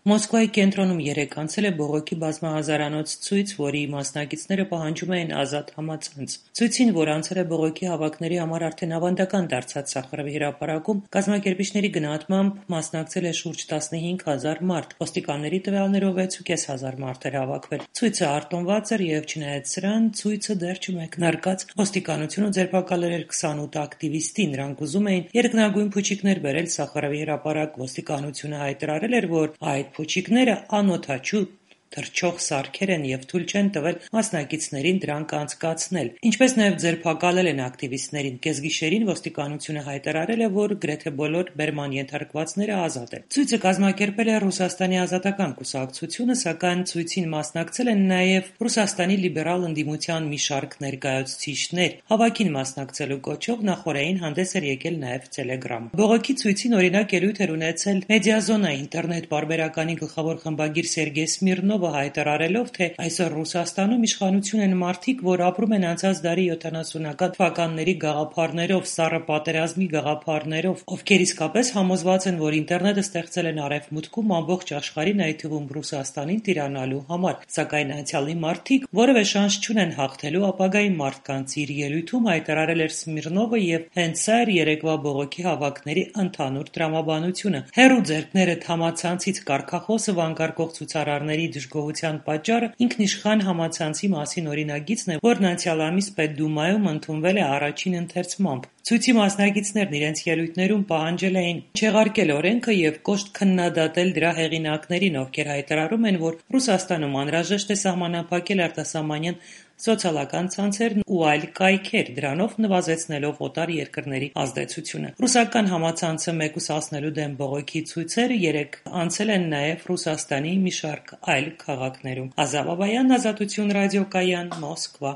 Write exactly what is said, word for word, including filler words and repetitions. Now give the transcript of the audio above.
Մոսկվայի կենտրոնում երեկ անցել է բողոքի բազմահազարանոց ցույց, որի մասնակիցները պահանջում էին ազատ համացանց։ Ցույցին, որ անցել է բողոքի հավաքների համար արդեն ավանդական դարձած Սախարովի հրապարակում, կազմակերպիչների գնահատմամբ մասնակցել է շուրջ տասնհինգ հազար մարդ, ոստիկանների տվյալներով վեցուկես հազար մարդ էր հավաքվել։ Ցույցը արտոնված էր և չնայած սրան, ցույցը դեռ չմեկնարկած։ Ոստիկանությունը ձերբակալել էր քսանութ ակտիվիստի, նրանք ուզում էին երկնագույն փուչիկներ բերել Սախարովի հրապարակ։ Ոստիկանությունը հայտարարել էր, որ այդ փուչիկները անօդաչու թռչող սարքեր են և թույլ չեն տվել մասնակիցներին դրանք անցկացնել, ինչպես նաև ձերբակալել են ակտիվիստներին։ Կեսգիշերին ոստիկանությունը հայտարարել է, որ գրեթե բոլոր բերման ենթարկվածները ազատ են։ Ցույցը կազմակերպել է Ռուսաստանի ազատական կուսակցությունը, սակայն ցույցին մասնակցել են նաև Ռուսաստանի լիբերալ ընդդիմության մի շարք ներկայացուցիչներ։ Հավաքին մասնակցելու կոչով նախօրեին հանդես էր եկել նաև Տելեգրամը։ Բողոքի ցույցին օրինակ ելույթ էր ունեցել Մեդիազոնա ինտերնետ պարբերականի գլխավոր խմբագիր Սերգեյ Սմիրնովը, հայտարարելով, թե այսօր Ռուսաստանում իշխանություն են մարդիկ, որ ապրում են անցած դարի յոթանասունական թվականների գաղափարներով, սառը պատերազմի գաղափարներով, ովքեր իսկապես համոզված են, որ ինտերնետը ստեղծել են Արևմուտքում ամբողջ աշխարհին, այդ թվում Ռուսաստանին տիրանալու համար, սակայն անցյալի մարդիկ որևէ շանս չունեն հաղթելու ապագայի մարդկանց։ Իր ելույթում հայտարարել էր Սմիրնովը, և հենց սա էր երեկվա բողոքի հավաքների ընդհանուր տրամաբանությունը։ Հեռու ձեռքներդ համացանցից կարգախոսը վանկարկող ցուցարարների դժգոհության պատճառը ինքնիշխան համացանցի մասին օրինագիծն է, որն անցյալ ամիս Պետդումայում ընդունվել է առաջին ընթերցմամբ։ Ցույցի մասնակիցներն իրենց ելույթներում պահանջել էին չեղարկել օրենքը և կոշտ քննադատել դրա հեղինակներին, ովքեր հայտարարում են, որ Ռուսաստանում անհրաժեշտ է սահմանափակել արտասահմանյան սոցիալական ցանցերն ու այլ կայքեր, դրանով նվազեցնելով օտար երկրների ազդեցությունը։ Ռուսական համացանցը մեկուսացնելու դեմ բողոքի ցույցերը երեկ անցել են նաև Ռուսաստանի մի շարք այլ քաղաքներում։ Ազա Բաբայան, Ազատություն ռադիոկայան, Մոսկվա։